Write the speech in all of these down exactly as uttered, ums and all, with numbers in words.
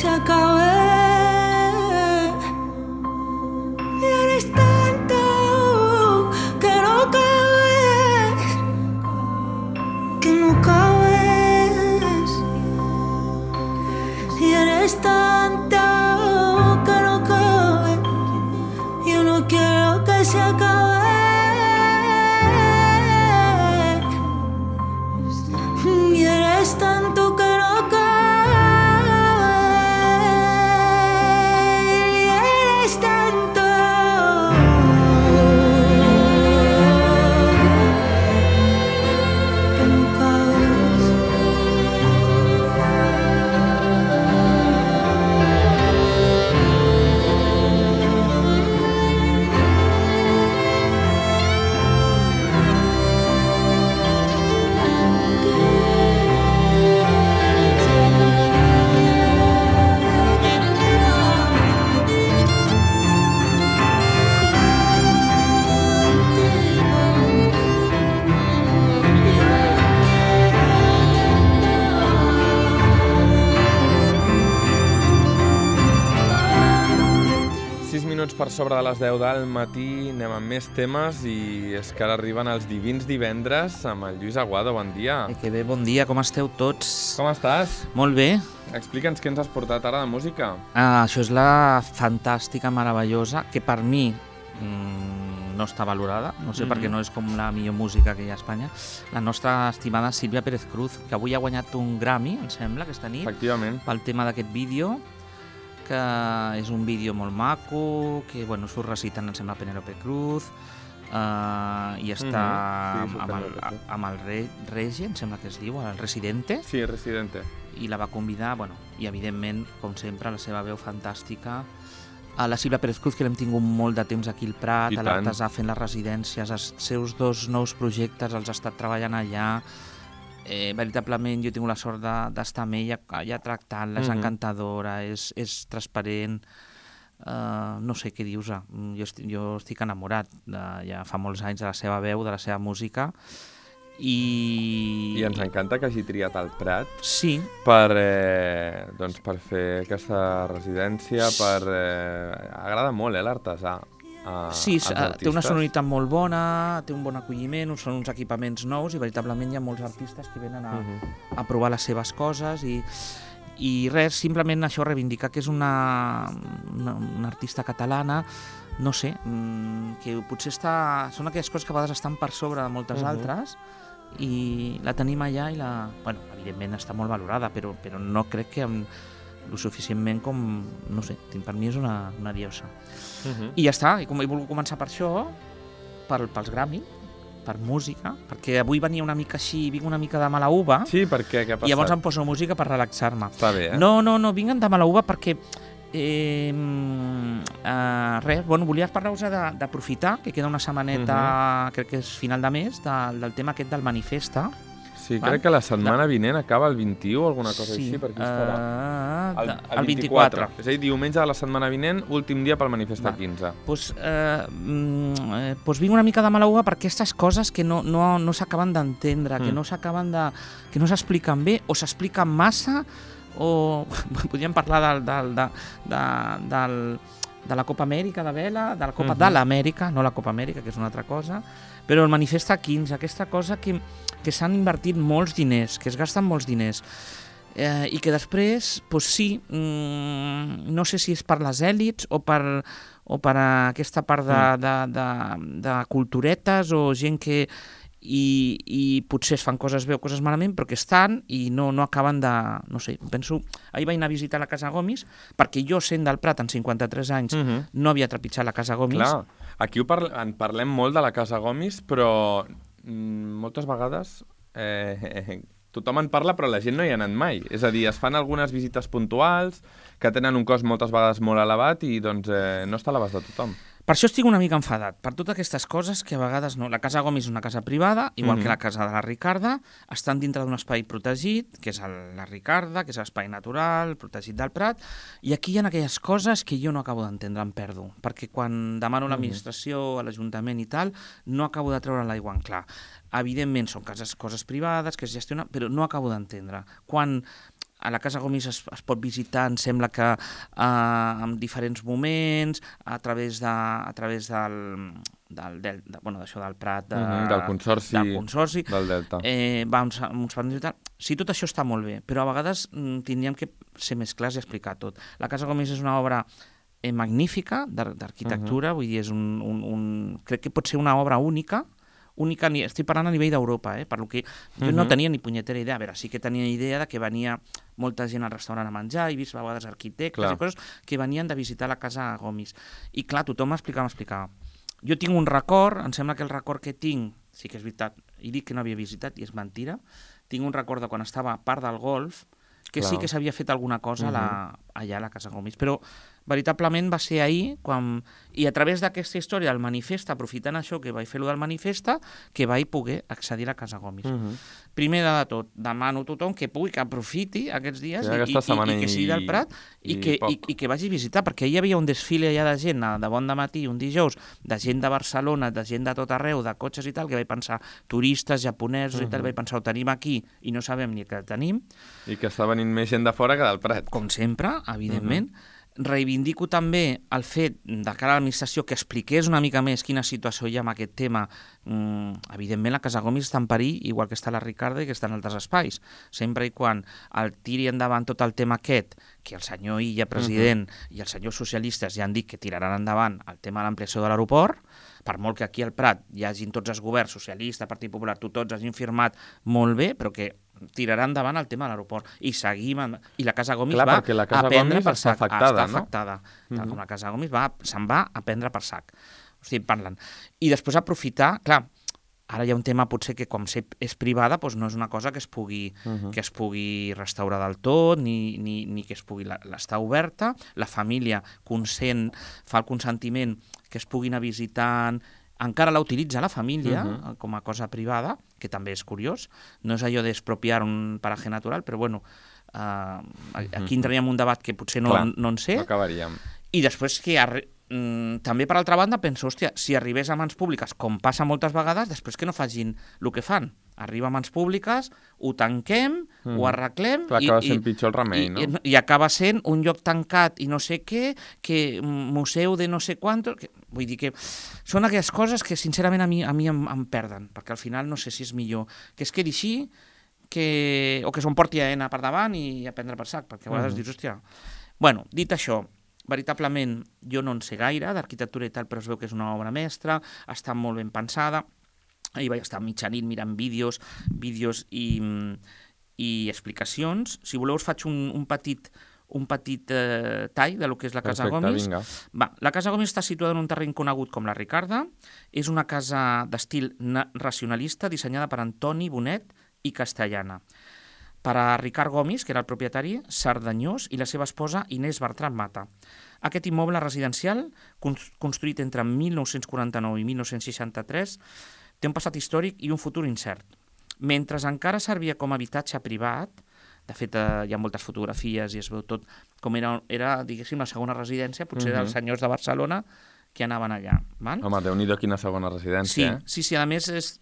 se acabe. Y eres tanto que no cabes, que no cabes. Y eres tanto que no cabes. Yo no quiero que se acabe. Y eres tanto que no cabe. Y eres tanto que no cabes. sis minuts per sobre de les deu del matí, anem amb més temes i és que ara arriben els divins divendres amb el Lluís Aguado. Bon dia. Eh, que bé, bon dia, com esteu tots? Com estàs? Molt bé. Explica'ns què ens has portat ara de música. Ah, això és la fantàstica, meravellosa, que per mi mmm, no està valorada, no sé mm-hmm. perquè no és com la millor música que hi ha a Espanya, la nostra estimada Sílvia Pérez Cruz, que avui ha guanyat un Grammy, em sembla, aquesta nit, Efectivament. pel tema d'aquest vídeo, que és un vídeo molt maco, que bueno, surt recitant, em sembla, Penélope Cruz, uh, i està mm-hmm. sí, amb, amb el, amb el re, Rege, em sembla que es diu, el Residente. Sí, Residente. I la va convidar, bueno, i evidentment, com sempre, la seva veu fantàstica. A la Sílvia Pérez Cruz, que l'hem tingut molt de temps aquí al Prat, a l'Artesà fent les residències, els seus dos nous projectes els ha estat treballant allà. Eh, veritablement jo he tingut la sort d'estar amb ella, ja tractant-la, és mm-hmm. encantadora, és, és transparent, uh, no sé què dius, jo estic, jo estic enamorat, de, ja fa molts anys, de la seva veu, de la seva música, i... I ens encanta que hagi triat el Prat sí. per, eh, doncs per fer aquesta residència, per... Eh, agrada molt, eh, l'Artesà. A, sí, té una sonoritat molt bona, té un bon acolliment, són uns equipaments nous i veritablement hi ha molts artistes que venen a, uh-huh. a provar les seves coses i, i res, simplement això reivindicar que és una, una, una artista catalana, no sé, que potser està, són aquelles coses que a vegades estan per sobre de moltes uh-huh. altres i la tenim allà i la, bueno, evidentment està molt valorada, però, però no crec que amb, lo suficientment com, no sé, per mi és una, una diosa. Uh-huh. I ja està, i com he volgut començar per això, per, pels Grammy, per música, perquè avui venia una mica així, vinc una mica de mala uva. Sí, per què? Què ha passat? I llavors em poso música per relaxar-me. Està bé, eh? No, no, no, vinc de mala uva perquè eh, eh, res, bueno, volia parlar-vos d'aprofitar, que queda una setmaneta, uh-huh. crec que és final de mes, de, del tema aquest del Manifesta. Sí, val? Crec que la setmana vinent acaba el vint-i-u o alguna cosa sí. així, per aquí estarà. Uh, el, el, el vint-i-quatre. És a dir, diumenge de la setmana vinent, últim dia pel Manifesta Va. quinze. Doncs pues, eh, eh, pues vinc una mica de mala uva per aquestes coses que no, no, no s'acaben d'entendre, mm. que no s'acaben de... que no s'expliquen bé, o s'expliquen massa, o podríem parlar del... del, de, de, del de la Copa Amèrica de vela, de la Copa uh-huh. de l'Amèrica, no la Copa Amèrica, que és una altra cosa, però el Manifesta quinze, aquesta cosa que, que s'han invertit molts diners, que es gasten molts diners, eh, i que després, doncs sí, mmm, no sé si és per les èlits o per, o per aquesta part de, de, de, de culturetes o gent que... I, i potser es fan coses bé o coses malament, però que estan i no, no acaben de... No sé, penso... Ahir vaig anar a visitar la Casa Gomis, perquè jo, sent del Prat, en cinquanta-tres anys, uh-huh. no havia trepitjat la Casa Gomis. Clar, aquí ho parle, en parlem molt de la Casa Gomis, però mm, moltes vegades eh, eh, tothom en parla, però la gent no hi ha anat mai. És a dir, es fan algunes visites puntuals, que tenen un cost moltes vegades molt elevat i doncs eh, no està a l'abast de tothom. Per això estic una mica enfadat, per totes aquestes coses que a vegades no. La Casa Gomis és una casa privada, igual mm-hmm. que la casa de la Ricarda, estan dintre d'un espai protegit, que és el, la Ricarda, que és l'espai natural, protegit del Prat, i aquí hi ha aquelles coses que jo no acabo d'entendre, em perdo, perquè quan demano a l'administració, a l'Ajuntament i tal, no acabo de treure l'aigua en clar. Evidentment són cases, coses privades que es gestionen, però no acabo d'entendre. Quan a la Casa Gomis es, es pot visitar, em sembla que uh, en diferents moments, a través, de, a través del... del, del, de, bueno, d'això del Prat, de, uh-huh, del consorci, del, consorci, del Delta. Eh, va uns, uns partits i tal. Sí, tot això està molt bé, però a vegades mm, tindríem que ser més clars i explicar tot. La Casa Gomis és una obra eh, magnífica d'arquitectura, uh-huh. vull dir, és un, un, un, crec que pot ser una obra única, única, estic parlant a nivell d'Europa, eh, per lo que jo uh-huh. no tenia ni punyetera idea, a veure, sí que tenia idea de que venia molta gent al restaurant a menjar, he vist a vegades arquitectes clar. I coses que venien de visitar la Casa Gomis. I clar, tothom m'explicava, m'explicava. Jo tinc un record, em sembla que el record que tinc, sí que és veritat, he dit que no havia visitat i és mentira, tinc un record de quan estava a part del golf, que clar. Sí que s'havia fet alguna cosa uh-huh. la, allà a la Casa Gomis, però veritablement va ser ahir, quan, i a través d'aquesta història del manifest, aprofitant això que vaig fer-lo del manifesta, que vaig poder accedir a la Casa Gomis. Uh-huh. Primer de tot, demano a tothom que pugui, que aprofiti aquests dies sí, i, i, i, i que sigui del Prat i, i, que, i, i que vagi a visitar, perquè hi havia un desfile allà de gent de bon dematí, un dijous, de gent de Barcelona, de gent de tot arreu, de cotxes i tal, que vaig pensar, turistes, japonesos uh-huh. i tal, vaig pensar, ho tenim aquí i no sabem ni que el tenim. I que està venint més gent de fora que del Prat. Com sempre, evidentment. Uh-huh. Reivindico també el fet de cara a l'administració que expliqués una mica més quina situació hi ha amb aquest tema. Mm, evidentment la Casa Gomis està en perill, igual que està la Ricarda i que està en altres espais. Sempre i quan el tiri endavant tot el tema aquest, que el senyor Illa, president, uh-huh. i els senyors socialistes ja han dit que tiraran endavant el tema de l'ampliació de l'aeroport, per molt que aquí al Prat hi hagin tots els governs, socialista, Partit Popular, tu tots hagin firmat molt bé, però que tirarà endavant el tema de l'aeroport i seguim en... i la Casa Gomis clar, va la Casa a prendre Gomis per sac afectada, està afectada no? uh-huh. com la Casa Gomis va, se'n va a prendre per sac o sigui, parlen. I després aprofitar, clar, ara hi ha un tema potser que com és privada doncs no és una cosa que es pugui, uh-huh. que es pugui restaurar del tot ni, ni, ni que es pugui l'estar oberta, la família consent, fa el consentiment que es puguin anar visitant, encara la utilitza la família uh-huh. com a cosa privada, que també és curiós. No és allò d'expropiar un paratge natural, però bueno, uh, aquí entraríem en un debat que potser no, Clar, no en sé. No acabaríem. I després que arri... mm, també per altra banda penso, hòstia, si arribés a mans públiques, com passa moltes vegades, després que no facin el que fan. Arriba a mans públiques, ho tanquem, mm. ho arreglem... Clar, acaba sent pitjor el remei, i, no? I, I acaba sent un lloc tancat i no sé què, que museu de no sé quant... Que, vull dir que són aquelles coses que sincerament a mi, a mi em, em perden, perquè al final no sé si és millor que es quedi així que, o que s'ho porti a ENA per davant i a prendre per sac, perquè a vegades mm. dius, hòstia... Bueno, dit això, veritablement jo no en sé gaire d'arquitectura i tal, però es veu que és una obra mestra, està molt ben pensada. Ahir vaig estar mitjanit mirant vídeos, vídeos i, i explicacions. Si voleu us faig un, un petit, un petit eh, tall de lo que és la Casa Perfecte, Gomis. Vinga. Va, la Casa Gomis està situada en un terreny conegut com la Ricarda. És una casa d'estil racionalista dissenyada per Antoni Bonet i Castellana. Per a Ricard Gomis, que era el propietari, Sardanyós, i la seva esposa Inés Bertran Mata. Aquest immoble residencial, construït entre mil nou-cents quaranta-nou i mil nou-cents seixanta-tres, té un passat històric i un futur incert. Mentre encara servia com a habitatge privat, de fet eh, hi ha moltes fotografies i es veu tot com era, era diguéssim, la segona residència, potser uh-huh. dels senyors de Barcelona que anaven allà. Val? Home, Déu-n'hi-do quina segona residència, sí, eh? Sí, sí, a més és,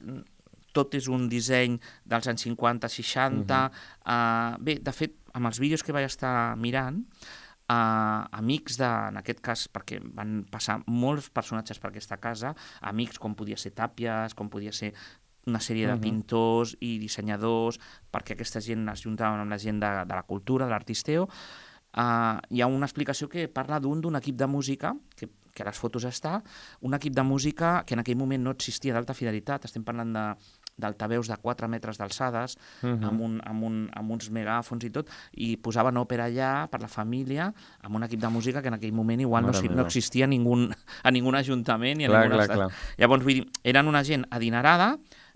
tot és un disseny dels anys cinquanta seixanta. Uh-huh. Uh, bé, de fet, amb els vídeos que vaig estar mirant, Uh, amics de, en aquest cas, perquè van passar molts personatges per aquesta casa, amics com podia ser Tàpies, com podia ser una sèrie de uh-huh. pintors i dissenyadors, perquè aquesta gent es juntaven amb la gent de, de la cultura, de l'artisteo. Uh, hi ha una explicació que parla d'un d'un equip de música, que, que a les fotos està, un equip de música que en aquell moment no existia d'alta fidelitat, estem parlant de d'altaveus de quatre metres d'alçades, uh-huh. amb, un, amb, un, amb uns megàfons i tot, i posaven òpera allà per la família, amb un equip de música que en aquell moment igual no, no existia a ningun, a ningun ajuntament. I a clar, clar, clar. Llavors, vull dir, eren una gent adinerada,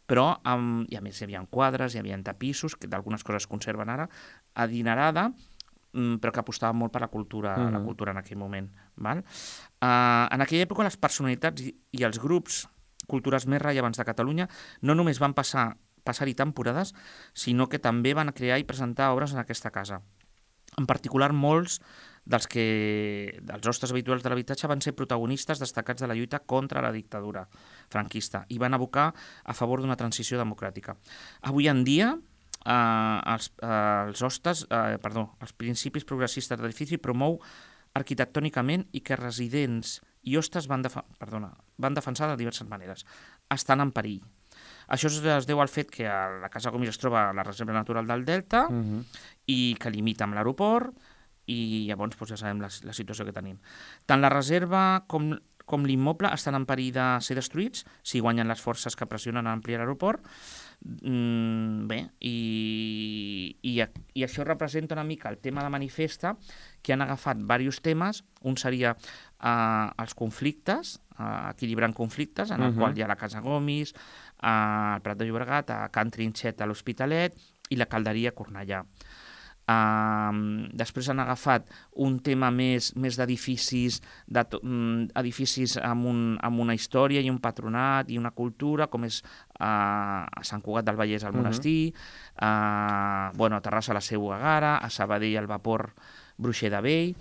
però, amb, i a més hi havia quadres, hi havia tapissos, que d'algunes coses es conserven ara, adinerada, però que apostava molt per la cultura, uh-huh. la cultura en aquell moment. Val? Uh, en aquella època les personalitats i, i els grups cultures més rellevants de Catalunya no només van passar, passar-hi temporades, sinó que també van crear i presentar obres en aquesta casa. En particular, molts dels, que, dels hostes habituals de l'habitatge van ser protagonistes destacats de la lluita contra la dictadura franquista i van abocar a favor d'una transició democràtica. Avui en dia, eh, els, eh, els hostes, eh, perdó, els principis progressistes de l'edifici promou arquitectònicament i que residents i hostes van, defa perdona, van defensar de diverses maneres. Estan en perill. Això es deu al fet que la Casa Gomis es troba a la Reserva Natural del Delta uh -huh. i que limita amb l'aeroport i llavors doncs, ja sabem la, la situació que tenim. Tant la reserva com, com l'immoble estan en perill de ser destruïts si guanyen les forces que pressionen a ampliar l'aeroport. Mm, bé, i, i, i això representa una mica el tema de manifesta, que han agafat diversos temes. Un seria eh, els conflictes, eh, equilibrant conflictes, en el uh -huh. qual hi ha la Casa Gomis, al Prat de Llobregat, a Can Trinxet a l'Hospitalet i la Calderia a Cornellà. Uh, després han agafat un tema més, més d'edificis um, edificis amb, un, amb una història i un patronat i una cultura, com és uh, a Sant Cugat del Vallès al uh -huh. Monestir, uh, bueno, a Terrassa la Seu Gagara, a Sabadell el Vapor Bruixer de Vell.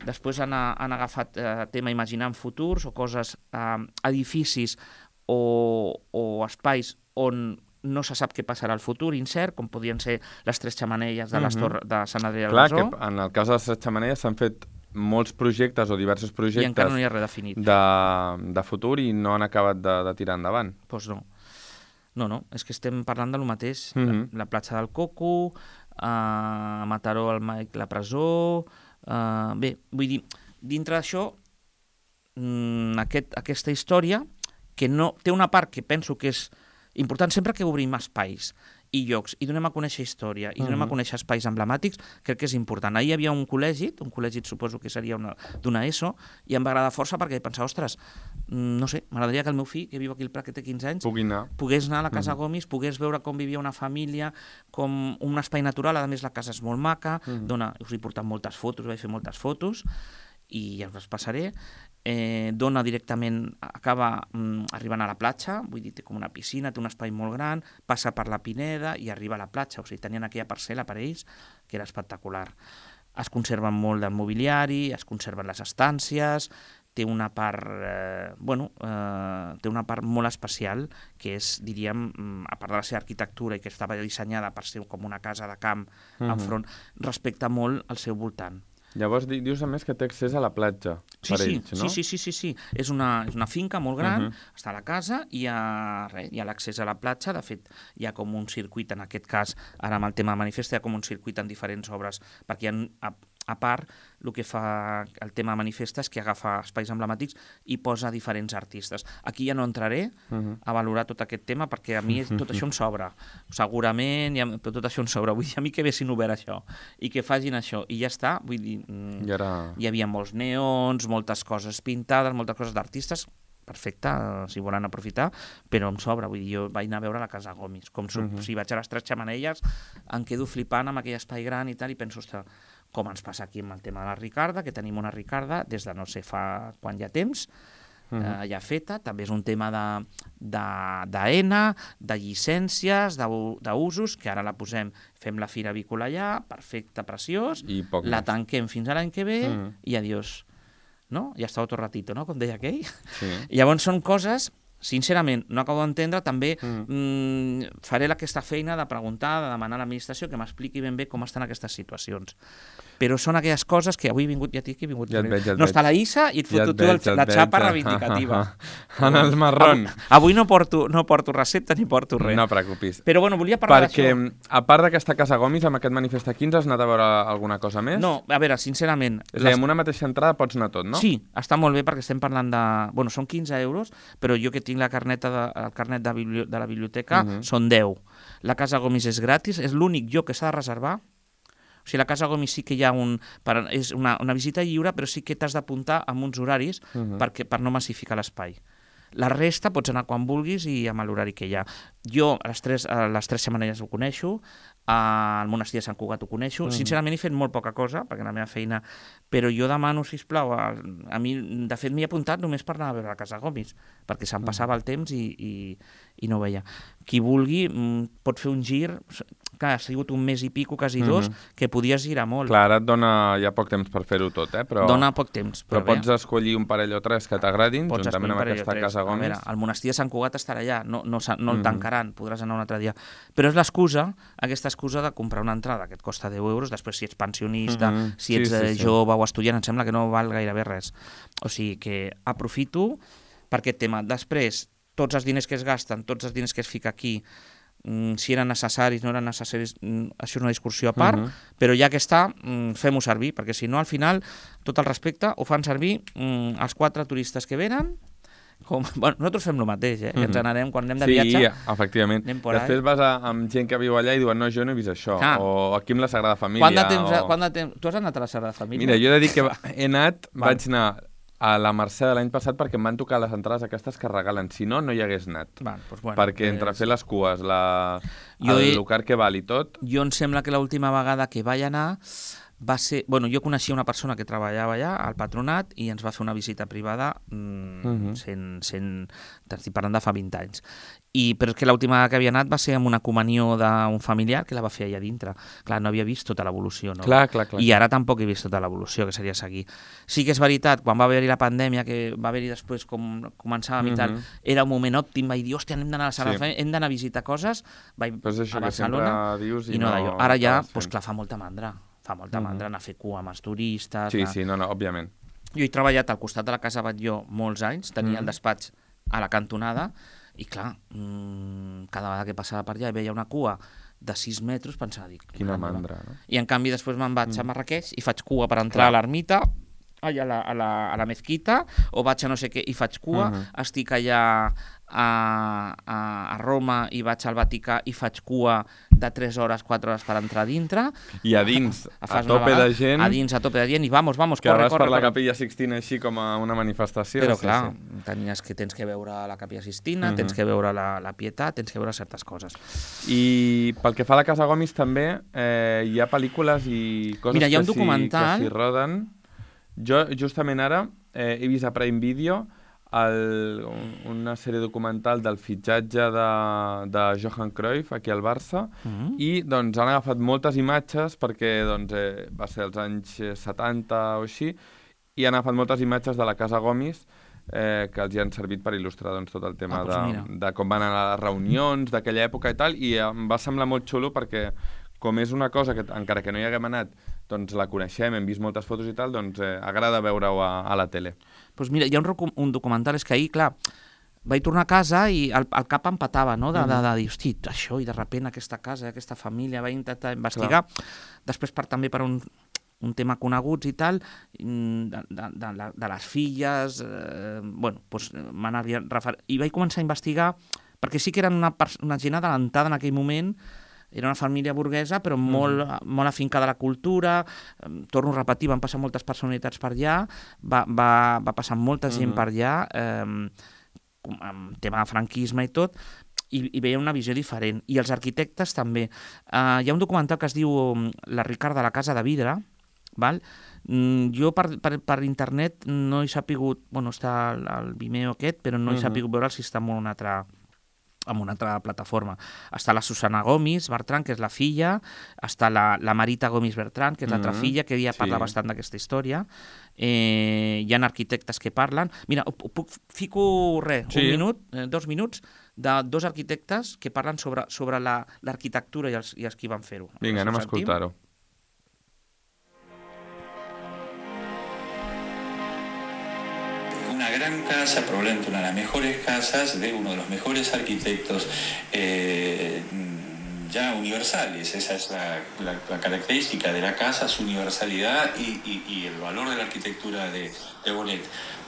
Després han, han agafat uh, tema imaginant futurs o coses, uh, edificis o, o espais on no se sap què passarà al futur, incert, com podien ser les tres xamanelles de, les uh -huh. torres de Sant Adrià del Clar, Besòs. que en el cas de les tres xamanelles s'han fet molts projectes o diversos projectes i encara no hi ha res definit. De, de futur i no han acabat de, de tirar endavant. Doncs pues no. No, no, és que estem parlant del mateix. Uh uh-huh. la, la platja del Coco, a Mataró, el Maic, la presó... Uh, bé, vull dir, dintre d'això, mm, aquest, aquesta història, que no té una part que penso que és important sempre que obrim espais i llocs i donem a conèixer història i donem uh -huh. a conèixer espais emblemàtics, crec que és important. Ahir hi havia un col·legi, un col·legi suposo que seria d'una ESO, i em va agradar força perquè pensava, ostres, no sé, m'agradaria que el meu fill, que viu aquí al Prat, que té quinze anys, Pugui anar. pogués anar a la Casa uh -huh. Gomis, pogués veure com vivia una família, com un espai natural. A més, la casa és molt maca, uh -huh. dona, us he portat moltes fotos, vaig fer moltes fotos, i ja us les passaré. Eh, dona directament, acaba mm, arribant a la platja, vull dir, té com una piscina, té un espai molt gran, passa per la Pineda i arriba a la platja, o sigui, tenien aquella parcel·la per ells, que era espectacular. Es conserven molt del mobiliari, es conserven les estàncies, té una part, eh, bueno, eh, té una part molt especial, que és, diríem, a part de la seva arquitectura i que estava dissenyada per ser com una casa de camp uh -huh. enfront, respecta molt el seu voltant. Llavors dius a més que té accés a la platja sí, per sí, ells, no? Sí, sí, sí, sí. És una, és una finca molt gran, uh -huh. està a la casa i hi ha, res, hi ha l'accés a la platja. De fet, hi ha com un circuit, en aquest cas, ara amb el tema de manifesta, hi ha com un circuit en diferents obres, perquè hi ha, a, a part, el que fa el tema de manifesta és que agafa espais emblemàtics i posa diferents artistes. Aquí ja no entraré uh -huh. a valorar tot aquest tema, perquè a mi tot això em sobra. Segurament, ja, però tot això em sobra. Vull dir, a mi que haguessin obert això i que facin això, i ja està. Vull dir, I ara... hi havia molts neons, moltes coses pintades, moltes coses d'artistes, perfecte, si volen aprofitar, però em sobra. Vull dir, jo vaig anar a veure la Casa Gomis, com uh -huh. si vaig a les tres xamanelles, em quedo flipant amb aquell espai gran i tal, i penso, ostres, com ens passa aquí amb el tema de la Ricarda, que tenim una Ricarda des de no sé fa quan hi ha temps, uh -huh. eh, ja feta. També és un tema de, de, d'ENA, de llicències, d'usos, que ara la posem, fem la fira avícola allà, perfecte, preciós, I poc la més. tanquem fins a l'any que ve uh -huh. i adiós. No? Ja està otro ratito, no? Com deia aquell. Sí. I llavors són coses, sincerament, no acabo d'entendre. També mm. mm, faré aquesta feina de preguntar, de demanar a l'administració que m'expliqui ben bé com estan aquestes situacions. Però són aquelles coses que avui he vingut, ja t'he vingut. Ja et veig, ja et no veig. està la Issa i et foto Ja et tu veig, ja et la veig. xapa reivindicativa. En el marrón. Avui, avui no porto, no porto recepta ni porto res. No preocupis. Però bueno, volia parlar Perquè, d'això. a part d'aquesta Casa Gomis, amb aquest Manifesta quinze, has anat a veure alguna cosa més? No, a veure, sincerament... És a dir, amb una mateixa entrada pots anar tot, no? Sí, està molt bé perquè estem parlant de... Bueno, són quinze euros, però jo que tinc la carneta de, el carnet de, bibli... de la biblioteca, uh -huh. són deu. La Casa Gomis és gratis, és l'únic lloc que s'ha de reservar. O sigui, la Casa Gomis sí que hi ha un... Per, és una, una visita lliure, però sí que t'has d'apuntar amb uns horaris uh -huh. perquè, per no massificar l'espai. La resta pots anar quan vulguis i amb l'horari que hi ha. Jo a les tres, a les tres setmanes ho coneixo, al monestir de Sant Cugat ho coneixo. Mm. Sincerament he fet molt poca cosa, perquè la meva feina... Però jo demano, sisplau, a, a mi, de fet m'hi he apuntat només per anar a veure la Casa Gomis, perquè se'm passava el temps i, i, i no ho veia. qui vulgui pot fer un gir, clar, ha sigut un mes i pico, quasi dos, mm-hmm. que podies girar molt. Clar, ara et dona ja poc temps per fer-ho tot, eh? Però, dona poc temps. Però, però pots escollir un parell o tres que t'agradin, juntament amb aquesta casa Gomis. A veure, el monestir de Sant Cugat estarà allà, no, no, no el mm-hmm. tancaran, podràs anar un altre dia. Però és l'excusa, aquesta excusa de comprar una entrada que et costa deu euros, després si ets pensionista, mm-hmm. si ets sí, sí, sí. jove o estudiant, em sembla que no val gairebé res. O sigui que aprofito per aquest tema. Després, tots els diners que es gasten, tots els diners que es fica aquí, si eren necessaris, no eren necessaris, això és una discussió a part, uh-huh. però ja que està, fem-ho servir, perquè si no, al final, tot el respecte, ho fan servir um, els quatre turistes que venen, com... bueno, nosaltres fem el mateix, eh? Uh-huh. Ens n'anem, quan anem de sí, viatge... Sí, efectivament. Després vas a, amb gent que viu allà i diuen, no, jo no he vist això, ah. o aquí amb la Sagrada Família... Quant de temps, o... quant de temps... Tu has anat a la Sagrada Família? Mira, jo he de dir que he anat, Val. vaig anar... a la Mercè de l'any passat perquè em van tocar les entrades aquestes que regalen. Si no, no hi hagués anat. Van, doncs bueno, perquè entre fer les cues, la... el he... lugar que val i tot... Jo em sembla que l'última vegada que vaig anar va ser... Bueno, jo coneixia una persona que treballava allà, al patronat, i ens va fer una visita privada mmm, uh-huh. sent, sent... Estic parlant de fa vint anys. I, però és que l'última vegada que havia anat va ser amb una comunió d'un familiar que la va fer allà dintre. Clar, no havia vist tota l'evolució, no? Clar, clar, clar. I ara tampoc he vist tota l'evolució, que seria seguir. Sí que és veritat, quan va haver-hi la pandèmia, que va haver-hi després com començàvem uh-huh. i tal, era un moment òptim, vaig dir, hòstia, hem d'anar a la sala, sí. hem d'anar a visitar coses, vaig pues això a Barcelona, dius i no, no Ara ja, doncs pues, clar, fa molta mandra. Fa molta uh-huh. mandra anar a fer cua amb els turistes... Sí, la... sí, no, no, òbviament. Jo he treballat al costat de la Casa Batlló molts anys, tenia uh-huh. el despatx a la cantonada, i clar, mmm, cada vegada que passava per allà i veia una cua de sis metres, pensava, dic... Quina mandra, no? I en canvi després me'n vaig mm. a Marrakeix i faig cua per entrar clar. a l'ermita, allà a la, a, la, a la mezquita, o vaig a no sé què i faig cua, uh-huh. estic allà a, a, a Roma i vaig al Vaticà i faig cua de tres hores, quatre hores per entrar dintre. I a dins, a, a tope de gent... A dins, a tope de gent, i vamos, vamos, que corre, vas corre, per la corre. Capella Sixtina així com a una manifestació. Però sí, clar, sí. Tenies que, tens que veure la Capella Sixtina, uh-huh. tens que veure la, la Pietat, tens que veure certes coses. I pel que fa a la Casa Gomis també, eh, hi ha pel·lícules i coses Mira, hi ha un que, documental... si, que s'hi roden... Jo, justament ara, eh, he vist a Prime Video el, un, una sèrie documental del fitxatge de, de Johan Cruyff aquí al Barça uh-huh. i doncs han agafat moltes imatges perquè doncs, eh, va ser als anys setanta o així i han agafat moltes imatges de la Casa Gomis eh, que els hi han servit per il·lustrar doncs, tot el tema ah, doncs de, de com van anar les reunions d'aquella època i tal, i em va semblar molt xulo perquè com és una cosa que encara que no hi haguem anat doncs la coneixem, hem vist moltes fotos i tal, doncs eh, agrada veure-ho a, a la tele. Doncs pues mira, hi ha un, un documental, és que ahir, clar, vaig tornar a casa i el, el cap em patava, no?, de, de, de, de dir, hosti, això, i de sobte aquesta casa, aquesta família, vaig intentar investigar, clar. Després per, també per un, un tema coneguts i tal, de, de, de, de les filles, eh, bueno, doncs m'anava refer... I vaig començar a investigar, perquè sí que eren una, una gent adelantada en aquell moment. Era una família burguesa, però molt, mm. molt afincada a la cultura. Torno a repetir, van passar moltes personalitats per allà, va, va, va passar molta gent mm. per allà, eh, amb tema de franquisme i tot, i, i veia una visió diferent. I els arquitectes també. Eh, hi ha un documental que es diu La Ricard de la Casa de Vidre, val? Jo per, per, per internet no he sapigut, bueno, està el, el Vimeo aquest, però no he mm. sapigut veure si està en una altra... amb una altra plataforma. Està la Susana Gomis Bertran, que és la filla, està la, la Marita Gomis Bertran, que és l'altra mm-hmm. filla, que ja parla sí. bastant d'aquesta història. Eh, hi ha arquitectes que parlen. Mira, puc, fico res, sí. un minut, eh, dos minuts, de dos arquitectes que parlen sobre, sobre la, l'arquitectura i els, i els qui van fer-ho. Vinga, anem a escoltar-ho. Una gran casa, probablemente una de las mejores casas de uno de los mejores arquitectos eh, ya universales. Esa es la, la, la característica de la casa, su universalidad y, y, y el valor de la arquitectura de, de Bonet.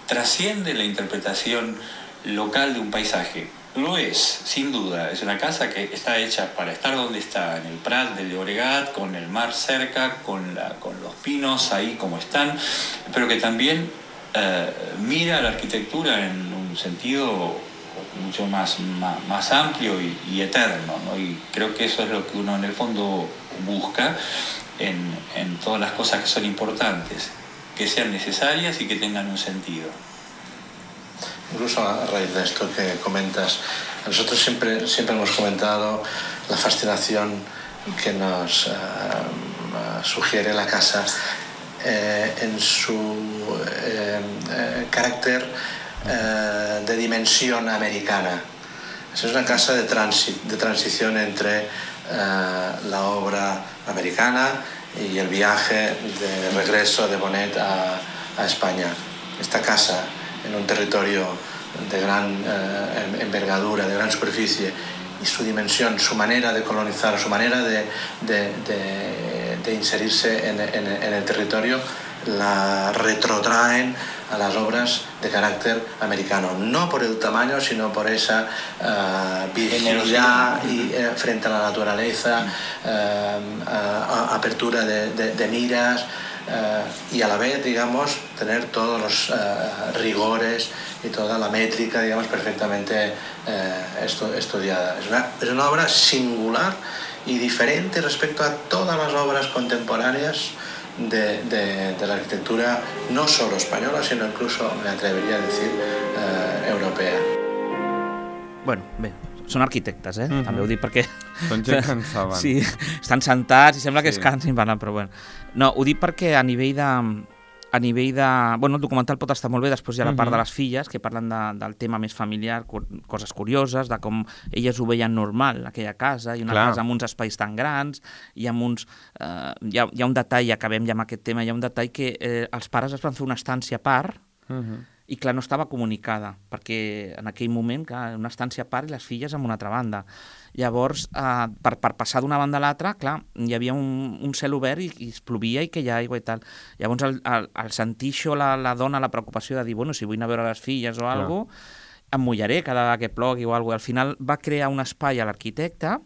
Trasciende la interpretación local de un paisaje. Lo es, sin duda. Es una casa que está hecha para estar donde está, en el Prat del Llobregat, con el mar cerca, con, la, con los pinos ahí como están, pero que también Uh, mira la arquitectura en un sentido mucho más, más, más amplio y, y eterno, ¿no? Y creo que eso es lo que uno en el fondo busca en, en todas las cosas que son importantes, que sean necesarias y que tengan un sentido. incluso a raíz de esto que comentas. Nosotros siempre, siempre hemos comentado la fascinación que nos uh, sugiere la casa eh, en su eh, eh, carácter eh, de dimensión americana. Es una casa de, transi de transición entre uh, la obra americana y el viaje de regreso de Bonet a, a España. Esta casa, en un territorio de gran eh, envergadura, de gran superficie, y su dimensión, su manera de colonizar, su manera de, de, de, de inserirse en, en, en el territorio, la retrotraen a las obras de carácter americano, no por el tamaño, sino por esa uh, virginidad y, eh, frente a la naturaleza, uh, uh, apertura de, de, de miras, uh, y a la vez, digamos, tener todos los uh, rigores y toda la métrica, digamos, perfectamente uh, estu estudiada. Es una, es una obra singular y diferente respecto a todas las obras contemporáneas De, de, de la arquitectura no solo española, sino incluso, me atrevería a decir, eh, europea. Bueno, bé, són arquitectes, eh? Mm-hmm. També ho dic perquè... Són gent que en saben. Sí, estan sentats i sembla que sí. es cansin parlant, però bueno. No, ho dic perquè a nivell de... A nivell de... Bueno, el documental pot estar molt bé, després hi ha la part de les filles, que parlen de, del tema més familiar, coses curioses, de com elles ho veien normal, aquella casa, i una Clar. casa amb uns espais tan grans, i amb uns... Eh, hi, ha, hi ha un detall, acabem ja amb aquest tema, hi ha un detall que eh, els pares es van fer una estància a part, uh-huh. i clar, no estava comunicada, perquè en aquell moment, clar, una estància a part i les filles en una altra banda. Llavors, eh, per, per passar d'una banda a l'altra, clar, hi havia un, un cel obert i, i es plovia i que hi ha aigua i tal. Llavors, al, al, al sentir això, la, la dona, la preocupació de dir, bueno, si vull anar a veure les filles o alguna cosa, em mullaré cada vegada que plogui o alguna cosa. Al final va crear un espai a l'arquitecte,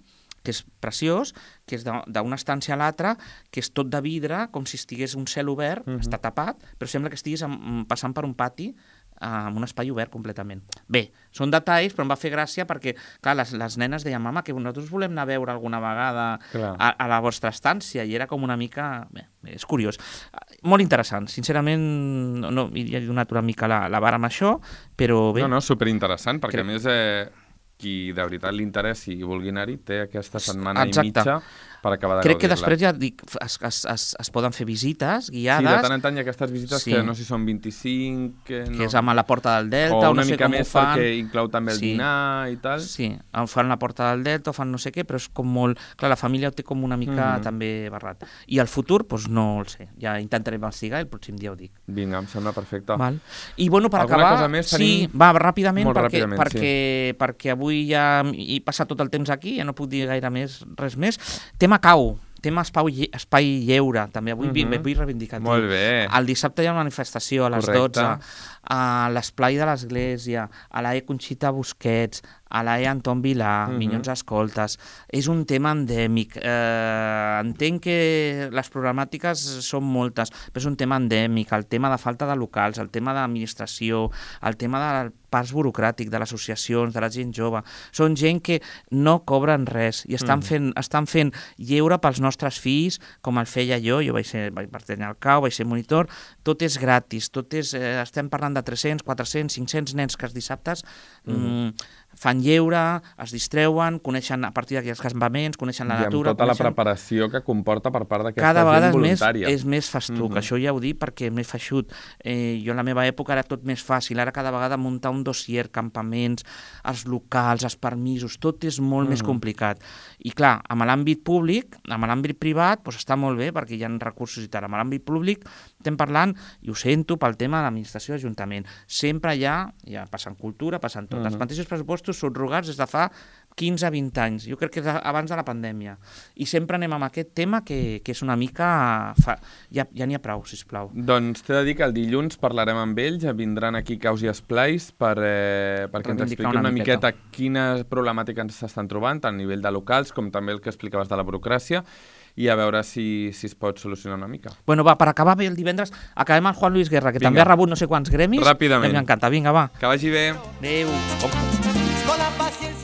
que és preciós, que és d'una estància a l'altra, que és tot de vidre, com si estigués un cel obert, uh-huh. està tapat, però sembla que estiguis passant per un pati amb un espai obert completament. Bé, són detalls, però em va fer gràcia perquè, clar, les, les nenes deien, mama, que nosaltres volem anar a veure alguna vegada a, a la vostra estància, i era com una mica... Bé, és curiós. Molt interessant, sincerament, no, hi he donat una mica la, la vara amb això, però bé... No, no, superinteressant, perquè crec... a més... Eh... qui de veritat li interessi i vulgui anar-hi té aquesta setmana Exacte. i mitja per acabar de Crec que gaudir-la. després ja dic, es, es, es, es poden fer visites guiades. Sí, de tant en tant hi ha aquestes visites sí. que no sé si són vint-i-cinc... Que, no. que és amb la Porta del Delta, o no una sé mica com més ho fan. perquè inclou també el sí. dinar i tal. Sí, fan la Porta del Delta, o fan no sé què, però és com molt... Clar, la família ho té com una mica mm-hmm. també barrat. I el futur, doncs no el sé. Ja intentaré investigar i el pròxim dia ho dic. Vinga, em sembla perfecte. Val. I bueno, per Alguna acabar... cosa més sí, tenim... va, ràpidament, Molt perquè, ràpidament, perquè, sí. perquè avui ja he passat tot el temps aquí, ja no puc dir gaire més, res més. Tema cau. Tema espai, espai lleure, també avui mm-hmm. vull reivindicar. Molt bé. El dissabte hi ha una manifestació a les Correcte. dotze, a l'esplai de l'Església, a l'A E Conxita Busquets, a l'A E Anton Vilà, mm-hmm. Minyons Escoltes. És un tema endèmic. Eh, entenc que les problemàtiques són moltes, però és un tema endèmic. El tema de falta de locals, el tema d'administració, el tema del pas burocràtic, de les associacions, de la gent jove. Són gent que no cobren res i estan, mm. fent, estan fent lleure pels nostres fills, com el feia jo. Jo vaig, ser, vaig pertanyar al C A U, vaig ser monitor. Tot és gratis, tot és, eh, estem parlant de tres-cents, quatre-cents, cinc-cents nens que els dissabtes mm. Mm, fan lleure, es distreuen, coneixen a partir d'aquests campaments, coneixen la I natura... I amb tota coneixen... la preparació que comporta per part d'aquesta Cada gent vegada voluntària. És més, és més festuc, mm-hmm. això ja ho dic perquè és més feixut. Eh, jo en la meva època era tot més fàcil, ara cada vegada muntar un dossier, campaments, els locals, els permisos, tot és molt mm-hmm. més complicat. I clar, amb l'àmbit públic, amb l'àmbit privat, doncs està molt bé perquè hi ha recursos i tal. Amb l'àmbit públic estem parlant, i ho sento, pel tema de l'administració d'Ajuntament. Sempre hi ha, ja passa en cultura, passa en tot. Mm-hmm. Els mateixos pressupostos subrogats des de fa quinze a vint anys, jo crec que és abans de la pandèmia. I sempre anem amb aquest tema que, que és una mica... Fa... Ja ja n'hi ha prou, sisplau. Doncs t'he de dir que el dilluns parlarem amb ells, vindran aquí Caus i Esplais per, eh, perquè ens expliqui una, una miqueta quina problemàtica ens s'estan trobant, tant a nivell de locals com també el que explicaves de la burocràcia, i a veure si, si es pot solucionar una mica. Bueno, va, per acabar bé el divendres, acabem amb Juan Luis Guerra, que Vinga. també ha rebut no sé quants gremis. Ràpidament. M'encanta, vinga, va. Que vagi bé. Adéu. Oh.